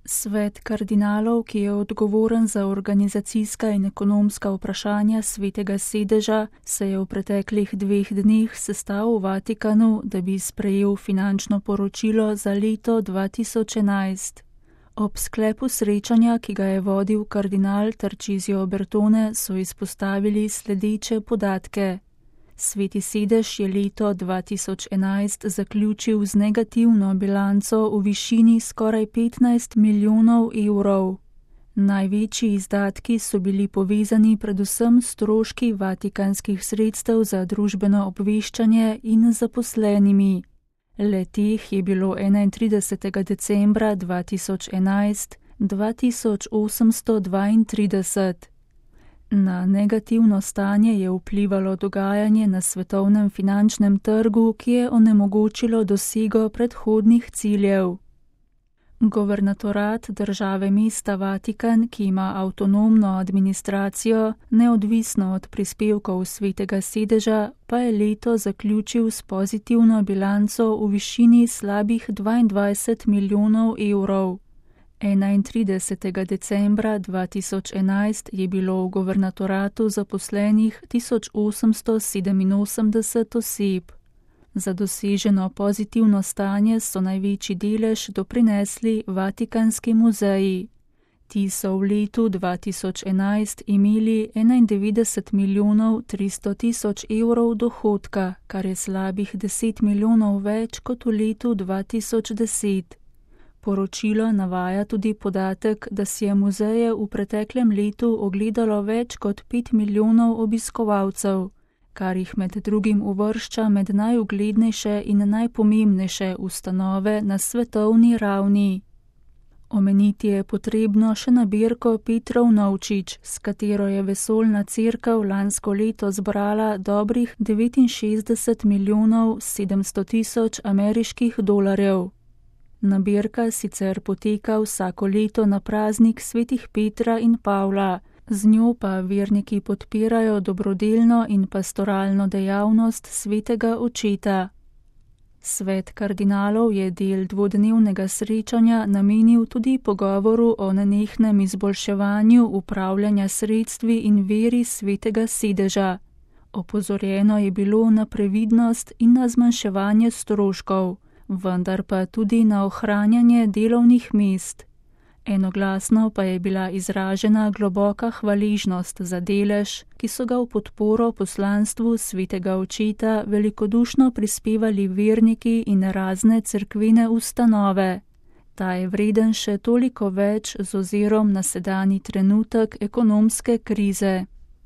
Svet kardinalov, ki je odgovoren za organizacijska in ekonomska vprašanja Svetega sedeža, se je v preteklih 2 dneh sestal v Vatikanu, da bi sprejel finančno poročilo za leto 2011. Ob sklepu srečanja, ki ga je vodil kardinal Tarcisio Bertone, so izpostavili sledeče podatke. Sveti sedež je leto 2011 zaključil z negativno bilanco v višini skoraj 15 milijonov evrov. Največji izdatki so bili povezani predvsem s stroški vatikanskih sredstev za družbeno obveščanje in zaposlenimi. Le-teh je bilo 31. decembra 2011 2832. Na negativno stanje je vplivalo dogajanje na svetovnem finančnem trgu, ki je onemogočilo dosego predhodnih ciljev. Governatorat države mesta Vatikan, ki ima avtonomno administracijo, neodvisno od prispevkov Svetega sedeža, pa je leto zaključil s pozitivno bilanco v višini slabih 22 milijonov evrov. 31. decembra 2011 je bilo v governatoratu zaposlenih 1887 oseb. Za doseženo pozitivno stanje so največji delež doprinesli Vatikanski muzeji. Ti so v letu 2011 imeli 91 milijonov 300 tisoč evrov dohodka, kar je slabih 10 milijonov več kot v letu 2010. Poročilo navaja tudi podatek, da si je muzeje v preteklem letu ogledalo več kot 5 milijonov obiskovalcev, kar jih med drugim uvršča med najuglednejše in najpomembnejše ustanove na svetovni ravni. Omeniti je potrebno še nabirko Petrov Novčič, s katero je vesoljna cerkev lansko leto zbrala dobrih 69 milijonov 700 tisoč ameriških dolarjev. Nabirka sicer poteka vsako leto na praznik svetih Petra in Pavla, z njo pa verniki podpirajo dobrodelno in pastoralno dejavnost svetega očeta. Svet kardinalov je del dvodnevnega srečanja namenil tudi pogovoru o nenehnem izboljševanju upravljanja sredstvi in veri Svetega sedeža. Opozorjeno je bilo na previdnost in na zmanjševanje stroškov, vendar pa tudi na ohranjanje delovnih mest. Enoglasno pa je bila izražena globoka hvaležnost za delež, ki so ga v podporo poslanstvu Svetega očeta velikodušno prispevali verniki in razne cerkvene ustanove. Ta je vreden še toliko več z ozirom na sedanji trenutek ekonomske krize.